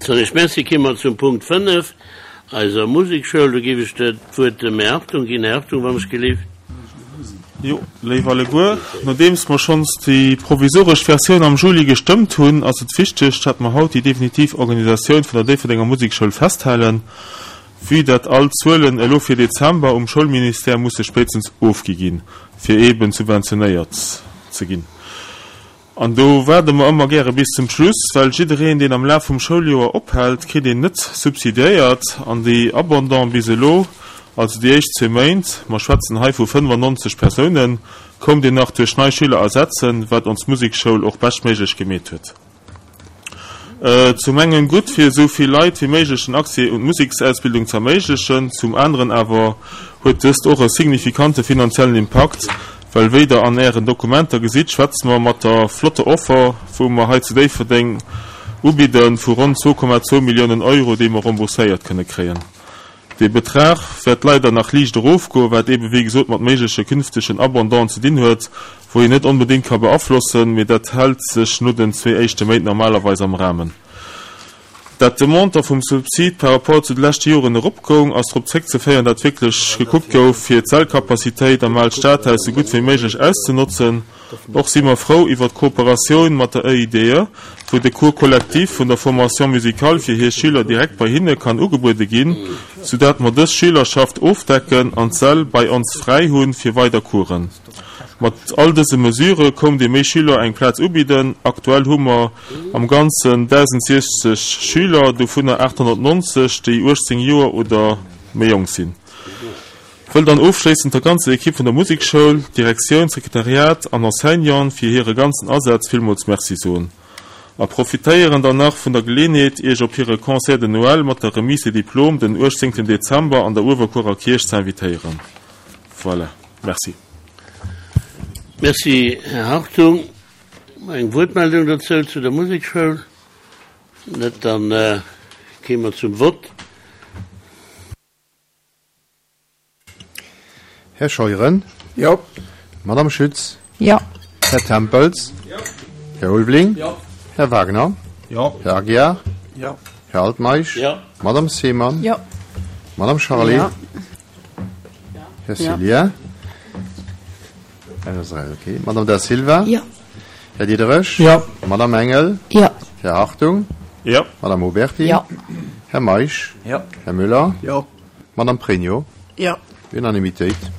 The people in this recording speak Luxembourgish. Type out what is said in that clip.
Soen ech Merci. Komme mer zum Punkt 5, eiser Musekschoul. Do géif ech d'Wuert dem Här Hartung ginn. Här Hartung, wann ech gelift. Jo, léif alleguer, nodeems mer schonns déi provisoresch Versioun am Juli gestëmmt hunn, ass et wichteg, dat mer haut déi definitiv Organisatioun vun der Déifferdenger Musekschoul festhalen, vue dat all d'Zuelen elo fir Dezember um Schoulministère musse spéitstens ofgi ginn, fir eeben subventionéiert ze ginn. An do waarde mer ëmmer gäre bis zum Schluss, well jiddereen, deen am Laf vum Schouljoer ophält, kritt een net subsidiéiert. An déi Abondants bis elo, also déi éischt zwee Méint, mer schwätzen hei vu 95 Persounen, koumt een nach duerch nei Schüler ersetzen, wat ons Musekschoul och beschtméiglech gemeet huet. Zum engen gutt, fir esou vill Leit wéi méiglech den Accès un d'Museksausbildung ze erméiglechen, zum aneren awer huet dëst och e signifikante finanziellen Impakt, well wéi der an ären Dokumenter gesitt, schwätze mer mat der flotter Offer, wou mer hei zu Déifferdeng ubidden, vu ronn 2,2 Milliounen Euro, déi mer rembourséiert kënne kréien. Dee Betrag wäert leider nach liicht erofgoen, wat eebe wéi gesot mat méigleche künftegen Abandone ze dinn huet, wou een net onbedéngt ka beaflossen, mee dat hält sech no den zwee éischte Méint normalerweis am Rahmen. Dat de Montant vum Subsid par rapport zu de leschte Joren eropgoung, ass drop zréckzeféieren, dat wierklech gekuckt gouf, fir d'Sällcapacitéit am Aalt Stadhaus sou gutt wéi méiglech auszenotzen. Och si mer frou iwwer d'Kooperatioun mat der EIDE, wou de Cours collectif vun der Formation musicale fir hir Schüler direkt bei hinne kann ugebuede ginn, soudat mer dës Schülerschaft ofdecken an d'Säll bei ons fräi hu fir weider Coursen. Mat all dëse Mesure koum de méi Schüler eng Plaz ubidden. Aktuell hu mer am Ganzen 1.060 Schüler, dovunner 890, déi 18 Joer oder méi jonk sinn. Wëll dann ofschléissend der ganzer Ekipp vun der Musekschoul, Direktioun, Sekretariat an Enseignanten fir hire ganzen Asaz villmools Merci soen a profitéieren dann nach vun der Geleenheet Iech op hire Concert de Noël mat der Remise des Diplômes den 18 Dezember an der Uewerkuerer Kierch ze invitéieren. Voilà, merci. Merci, Här Hartung. Eng Wuertmeldung dozou zu der Musekschoul? Net? Dann kéime mer zum Vott. Här Scheuren? Jo. Madame Schütz? Jo. Här Tempels? Jo. Här Ulveling? Jo. Här Wagner? Jo. Här Aguiar? Jo. Här Altmeisch? Jo. Madame Seemann? Jo. Madame Charlé? Jo. Här Cillien? Okay. Madame Da Silva? Jo. Här Diderich? Jo. Madame Engel? Jo. Här Hartung? Jo. Madame Oberti? Jo. Här Meisch? Jo. Här Müller? Jo. Madame Pregno? Jo. Unanimitéit.